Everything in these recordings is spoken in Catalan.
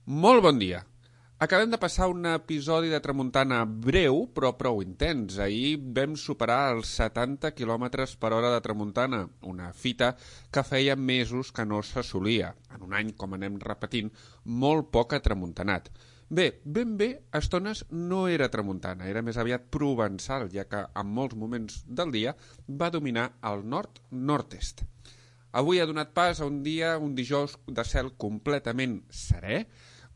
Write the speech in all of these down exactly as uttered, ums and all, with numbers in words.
Molt bon dia. Acabem de passar un episodi de tramuntana breu, però prou intens. Ahir vam superar els setanta quilòmetres per hora de tramuntana, una fita que feia mesos que no s'assolia. En un any, com anem repetint, molt poc tramuntanat. Bé, ben bé, a estones no era tramuntana, era més aviat provençal, ja que en molts moments del dia va dominar el nord-nord-est. Avui ha donat pas a un dia, un dijous de cel completament serè,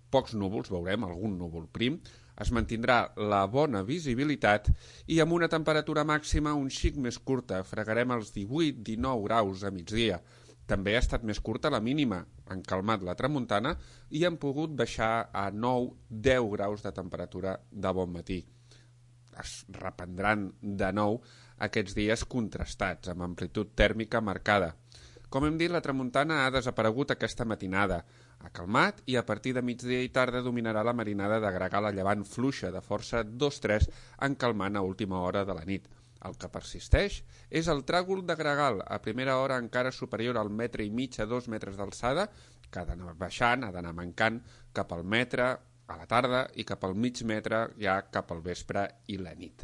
pocs núvols, veurem, algun núvol prim, es mantindrà la bona visibilitat i amb una temperatura màxima un xic més curta, fregarem els divuit dinou graus a migdia. També ha estat més curta la mínima, han calmat la tramuntana i han pogut baixar a nou deu graus de temperatura de bon matí. Es reprendran de nou aquests dies contrastats, amb amplitud tèrmica marcada. Com hem dit, la tramuntana ha desaparegut aquesta matinada. Ha calmat i a partir de migdia i tarda dominarà la marinada de gregal a llevant fluixa de força dos tres en calmant a última hora de la nit. El que persisteix és el tràgol de gregal, a primera hora encara superior al metre i mig a dos metres d'alçada, que ha d'anar baixant, ha d'anar mancant cap al metre a la tarda i cap al mig metre ja cap al vespre i la nit.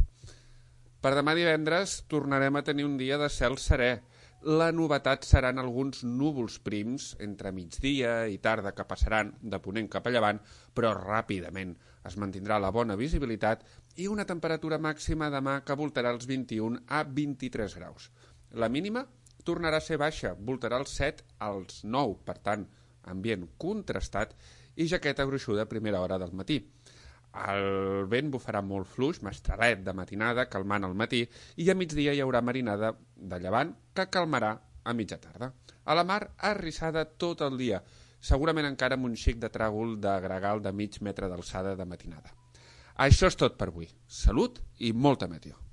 Per demà divendres tornarem a tenir un dia de cel serè. La novetat seran alguns núvols prims entre migdia i tarda que passaran de ponent cap a llevant, però ràpidament es mantindrà la bona visibilitat i una temperatura màxima demà que voltarà els vint-i-un a vint-i-tres graus. La mínima tornarà a ser baixa, voltarà els set als nou, per tant, ambient contrastat i jaqueta gruixuda a primera hora del matí. El vent bufarà molt fluix, mestralet de matinada, calmant al matí, i a migdia hi haurà marinada de llevant que calmarà a mitja tarda. A la mar, arrissada tot el dia, segurament encara amb un xic de tràgol de gregal de mig metre d'alçada de matinada. Això és tot per avui. Salut i molta meteo.